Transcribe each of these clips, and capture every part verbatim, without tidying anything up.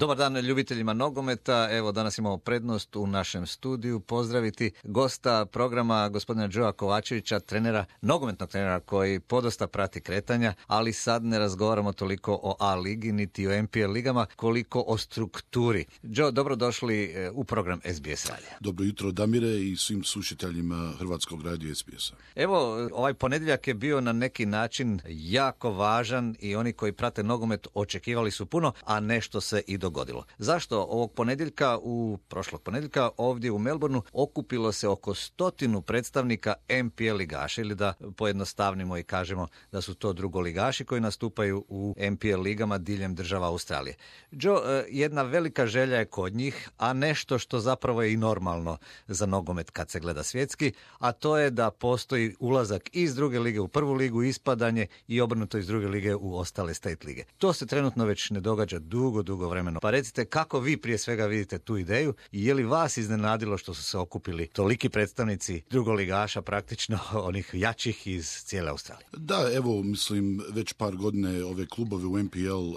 Dobar dan ljubiteljima nogometa. Evo, danas imamo prednost u našem studiju pozdraviti gosta programa gospodina Joea Kovačevića, trenera, nogometnog trenera koji podosta prati kretanja, ali sad ne razgovaramo toliko o A ligi niti o N P L ligama koliko o strukturi. Joe, dobrodošli u program S B S radija. Dobro jutro Damire i svim slušateljima Hrvatskog radija S B S-a. Evo, ovaj ponedjeljak je bio na neki način jako važan i oni koji prate nogomet očekivali su puno, a nešto se i dogodilo. Zašto? Ovog ponedjeljka, u prošlog ponedjeljka, ovdje u Melbourneu okupilo se oko stotinu predstavnika N P L ligaša, ili da pojednostavnimo i kažemo da su to drugoligaši koji nastupaju u N P L ligama diljem država Australije. Joe, jedna velika želja je kod njih, a nešto što zapravo je i normalno za nogomet kad se gleda svjetski, a to je da postoji ulazak iz druge lige u prvu ligu, ispadanje i obrnuto iz druge lige u ostale state lige. To se trenutno već ne događa dugo, dugo vremena. Pa recite kako vi prije svega vidite tu ideju i je li vas iznenadilo što su se okupili toliki predstavnici drugoligaša, praktično onih jačih iz cijele Australije? Da, evo, mislim, već par godine ove klubove u N P L uh,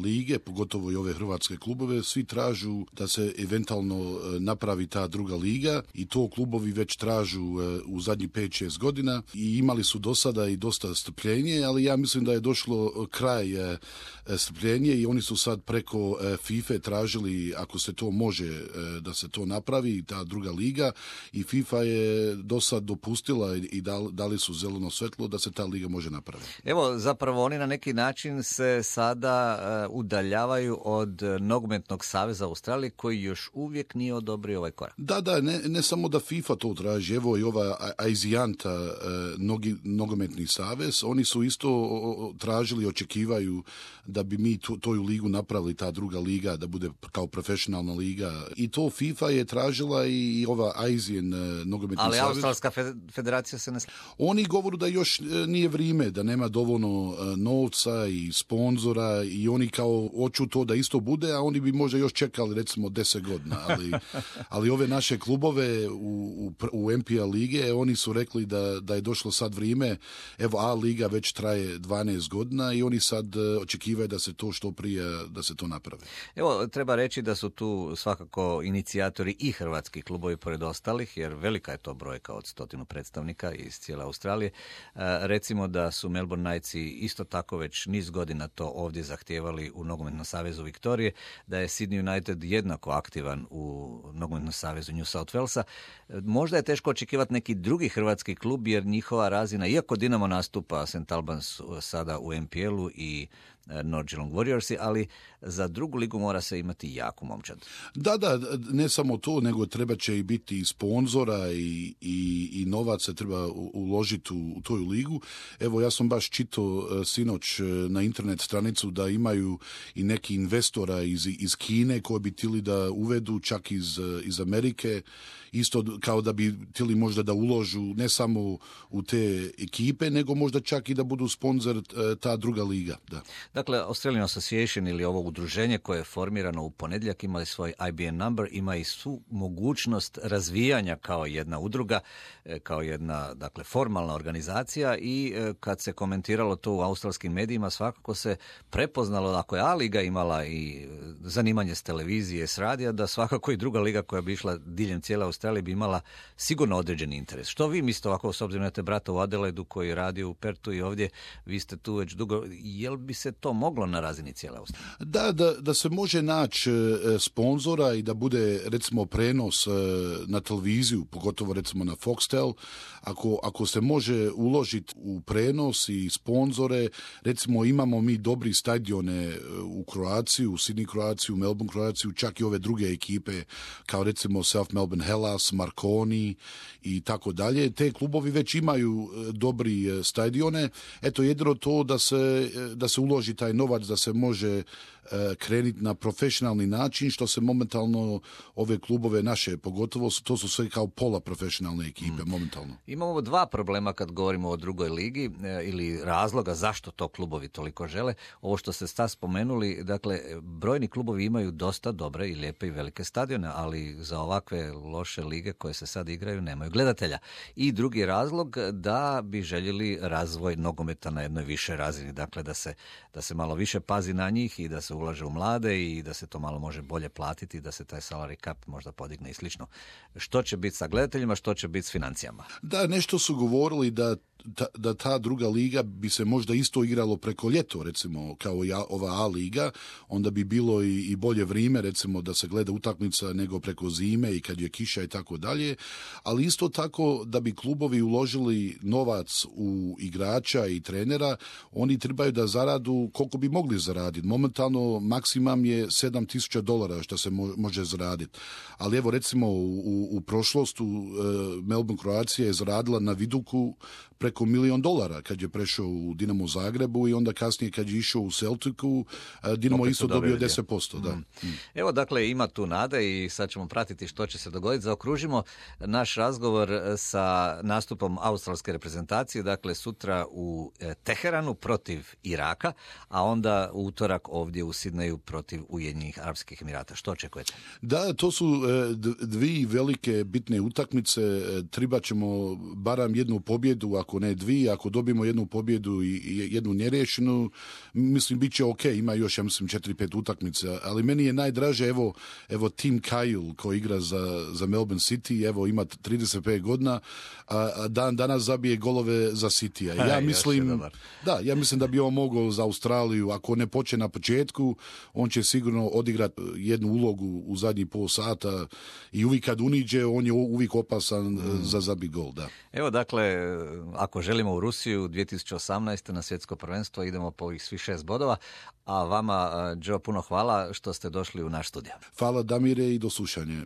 lige, pogotovo i ove hrvatske klubove, svi tražu da se eventualno uh, napravi ta druga liga i to klubovi već tražu uh, u zadnjih pet šest godina i imali su do sada i dosta strpljenje, ali ja mislim da je došlo kraj uh, strpljenje i oni su sad preko uh, FIFA tražili, ako se to može, uh, da se to napravi, ta druga liga, i FIFA je do sad dopustila i dali, dali su zeleno svetlo da se ta liga može napraviti. Evo, zapravo oni na neki način se sada uh, udaljavaju od nogometnog saveza Australije koji još uvijek nije odobrio ovaj korak. Da, da, ne, ne samo da FIFA to traži, evo i ova Aizijanta, uh, nogi, nogometni savez, oni su isto tražili, očekivaju da bi mi to, toju ligu napravili, ta druga liga, da bude kao profesionalna liga. I to FIFA je tražila i, i ova Aizijan uh, nogometni ali savez. Ali Australska federacija se ne... Oni govoru da još nije vrijeme, da nema dovoljno novca i sponzora i oni kao hoću to da isto bude, a oni bi možda još čekali recimo deset godina. Ali, ali ove naše klubove u, u, u N P L lige, oni su rekli da, da je došlo sad vrijeme. Evo, A liga već traje dvanaest godina i oni sad očekivaju da se to što prije, da se to napravi. Evo, treba reći da su tu svakako inicijatori i hrvatski klubovi pored ostalih, jer velika je to brojka od stotinu predstavnika iz cijele Australije. E, recimo da su Melbourne Knightsi isto tako već niz godina to ovdje zahtijevali u Nogometnom savezu Viktorije, da je Sydney United jednako aktivan u Nogometnom savezu New South Walesa. E, možda je teško očekivati neki drugi hrvatski klub, jer njihova razina, iako Dinamo nastupa, Saint Albans sada u N P L-u i North Geelong Warriorsi, ali za drugu ligu mora se imati jaku momčad. Da, da, ne samo to, nego treba će i biti i sponzora i, i, i novaca treba uložiti u, u toju ligu. Evo, ja sam baš čitao uh, sinoć uh, na internet stranicu da imaju i neki investora iz, iz Kine koji bi tili da uvedu, čak iz, uh, iz Amerike, isto kao da bi tili možda da uložu ne samo u te ekipe, nego možda čak i da budu sponzor uh, ta druga liga, da. Dakle, Australian Association ili ovo udruženje koje je formirano u ponedjeljak ima i svoj I B N number, ima i svu mogućnost razvijanja kao jedna udruga, kao jedna, dakle, formalna organizacija i kad se komentiralo to u australskim medijima, svakako se prepoznalo da ako je A liga imala i zanimanje s televizije, s radija, da svakako i druga liga koja bi išla diljem cijele Australije bi imala sigurno određeni interes. Što vi mislite ovako, s obzirom na te brata u Adelaidu koji radi u Pertu i ovdje, vi ste tu već dugo, jel bi se to moglo na razini cijele Australije? Da, da, da se može naći e, sponzora i da bude recimo prenos e, na televiziju, pogotovo recimo na Foxtel, ako, ako se može uložiti u prenos i sponzore, recimo imamo mi dobri stadione u Kroaciji, u Sydney Kroaciji, u Melbourne Kroaciji, čak i ove druge ekipe, kao recimo South Melbourne Hellas, Marconi i tako dalje. Te klubovi već imaju dobri stadione. Eto, jedino to da se, da se uloži taj novac, da se može krenuti na profesionalni način, što se momentalno ove klubove naše, pogotovo to su sve kao pola profesionalne ekipe, mm. momentalno. Imamo dva problema kad govorimo o drugoj ligi ili razloga zašto to klubovi toliko žele. Ovo što ste sta spomenuli, dakle, brojni klubovi klubovi imaju dosta dobre i lijepe i velike stadione, ali za ovakve loše lige koje se sad igraju nemaju gledatelja. I drugi razlog da bi željeli razvoj nogometa na jednoj više razini, dakle da se, da se malo više pazi na njih i da se ulaže u mlade i da se to malo može bolje platiti, da se taj salary cap možda podigne i slično. Što će biti sa gledateljima, što će biti s financijama? Da, nešto su govorili da Ta, da ta druga liga bi se možda isto igralo preko ljeto, recimo, kao i ova A liga, onda bi bilo i, i bolje vrijeme, recimo, da se gleda utakmica nego preko zime i kad je kiša i tako dalje, ali isto tako da bi klubovi uložili novac u igrača i trenera, oni trebaju da zaradu koliko bi mogli zaraditi. Momentalno maksimum je sedam tisuća dolara što se mo, može zaraditi. Ali evo, recimo, u, u prošlostu uh, Melbourne Croatia je zaradila na Viduku preko milion dolara kad je prešao u Dinamo Zagrebu i onda kasnije kad je išao u Celticu, Dinamo opet isto dobio deset posto. Da. Mm. Evo, dakle, ima tu nade i sad ćemo pratiti što će se dogoditi. Zaokružimo naš razgovor sa nastupom australske reprezentacije, dakle sutra u Teheranu protiv Iraka, a onda u utorak ovdje u Sidneju protiv Ujedinjenih Arapskih Emirata. Što očekujete? Da, to su dvije velike bitne utakmice. Tribat ćemo barem jednu pobjedu, ako ne dvije, ako dobijemo jednu pobjedu i jednu neriješenu, mislim, bit će ok, ima još, ja mislim, četiri, pet utakmica, ali meni je najdraže, evo, evo Tim Cahill koji igra za, za Melbourne City, evo, ima trideset pet godina, a dan danas zabije golove za City-a. Ja mislim, da, ja mislim da bi on mogao za Australiju, ako ne počne na početku, on će sigurno odigrati jednu ulogu u zadnji pol sata i uvijek kad uniđe, on je uvijek opasan mm. za zabi gol, da. Evo, dakle, ako želimo u Rusiju dvije tisuće osamnaeste na svjetsko prvenstvo, idemo po ovih svih šest bodova, a vama, Joe, puno hvala što ste došli u naš studio. Hvala, Damire, i do slušanja.